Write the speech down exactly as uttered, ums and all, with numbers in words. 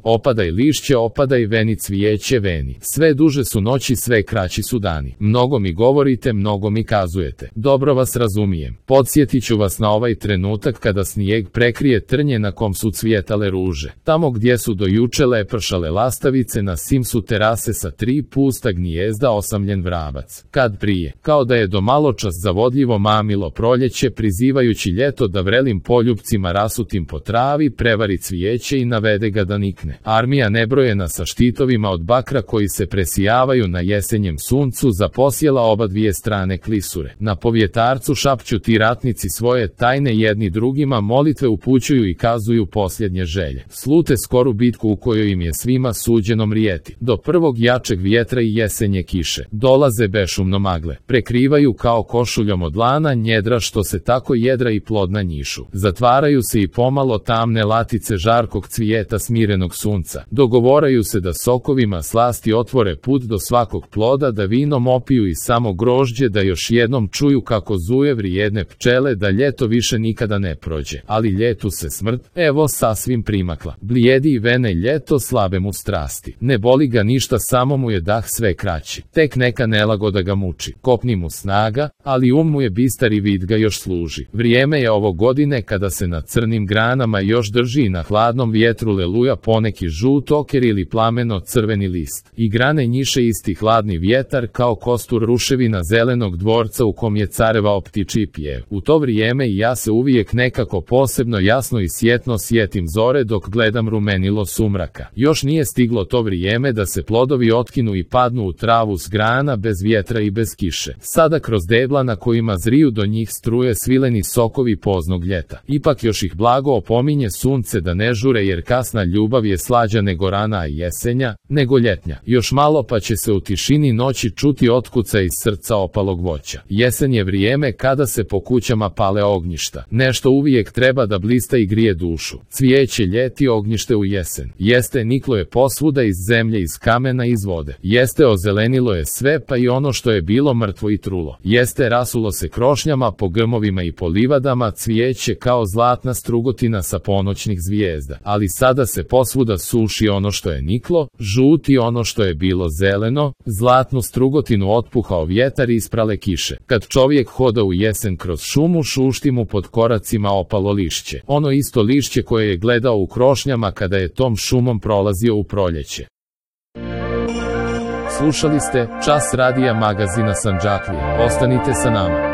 Opadaj lišće, opadaj, veni cvijeće, veni. Sve duže su noći, sve kraći su dani. Mnogo mi govorite, mnogo mi kazujete. Dobro vas razumijem. Podsjetit ću vas na ovaj trenutak kada snijeg prekrije trnje na kom su cvjetale ruže. Tamo gdje su do juče lepršale lastavice, na sim su terase sa tri pusta gnijezda osamljen vrabac. Kad prije, kao da je do maločas zavodljivo mamilo proljeće, prizivajući ljeto da vrelim poljupcima rasutim po travi, prevari cvijeće i navede ga da nikne. Armija nebrojena sa štitovima od bakra koji se presijavaju na jesenjem suncu zaposjela oba dvije strane klisure. Na povjetarcu šapću ti ratnici svoje tajne, jedni drugima molitve upućuju i kazuju posljednje želje. Slute skoru bitku u kojoj im je svima suđeno mrijeti. Do prvog jačeg vjetra i jesenje kiše. Dolaze bešumno magle. Prekrivaju kao košuljom od lana njedra što se tako jedra i plodna njišu. Zatvaraju se i pomalo tamne latice žarkog cvijeta smirenog sunca. Dogovoraju se da sokovima slasti otvore put do svakog ploda, da vinom opiju i samo grožđe, da još jednom čuju kako zuje vrijedne pčele, da ljeto više nikada ne prođe. Ali ljetu se smrt, evo, sasvim primakla. Blijedi i vene ljeto, slabe mu strasti. Ne boli ga ništa, samo mu je dah sve kraći. Tek neka nelagoda ga muči. Kopni mu snaga, ali um mu je bistar i vid ga još služi. Vrijeme je ovo godine kada se na crnim granama još drži i na hladnom vjetru leluja poneki žut oker ili plameno crveni list. I grane njiše isti hladni vjetar kao kostur ruševina zelenog dvorca u kom je carevao ptičji pjev. U to vrijeme i ja se uvijek nekako posebno jasno i sjetno sjetim zore dok gledam rumenilo sumraka. Još nije stiglo to vrijeme da se plodovi otkinu i padnu u travu s grana bez vjetra i bez kiše. Sada kroz debla na kojima zriju do njih struje svileni sokovi poznog ljeta. Ipak još ih blago opominje sunce da ne žure, jer kasna ljubav je slađa nego rana jesenja, nego ljetnja. Još malo pa će se u tišini noći čuti otkuca iz srca opalog voća. Jesen je vrijeme kada se po kućama pale ognjišta. Nešto uvijek treba da blista i grije dušu. Cvijeće ljeti, ognjište u jesen. Jeste, niklo je posvuda, iz zemlje, iz kamena, iz vode. Jeste, ozelenilo je sve, pa i ono što je bilo mrtvo i trulo. Jeste, rasulo se krošnjama po grmovima i po livadama, cvijeće kao zlatna strugotina sa ponoćnih zvijezda. Ali sada se posvuda suši ono što je niklo, žuti ono što je bilo zeleno, zlatnu strugotinu otpuhao vjetar i isprale kiše. Kad čovjek hoda u jesen kroz šumu, šušti mu pod koracima opalo lišće. Ono isto lišće koje je gledao u krošnjama kada je tom šumom prolazio u proljeće. Slušali ste Čas radija magazina Sandžaklije. Ostanite sa nama.